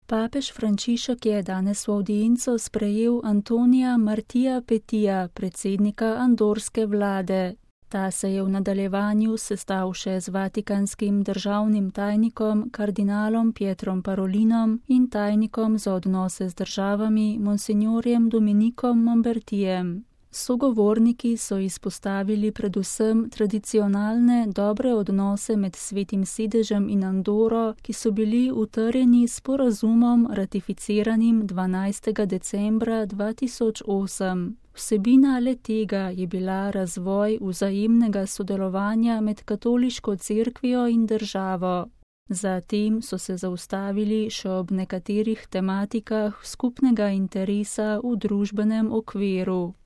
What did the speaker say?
Papež Frančišek je danes v avdienco sprejel Antonija Martija Petija, predsednika andorske vlade. Ta se je v nadaljevanju sestal še z vatikanskim državnim tajnikom kardinalom Pietrom Parolinom in tajnikom za odnose z državami monsignorjem Dominikom Mambertijem. Sogovorniki so izpostavili predvsem tradicionalne dobre odnose med Svetim sedežem in Andoro, ki so bili utrjeni s sporazumom ratificiranim 12. decembra 2008. Vsebina le-tega je bila razvoj vzajemnega sodelovanja med katoliško cerkvijo in državo. Zatem so se zaustavili še ob nekaterih tematikah skupnega interesa v družbenem okviru.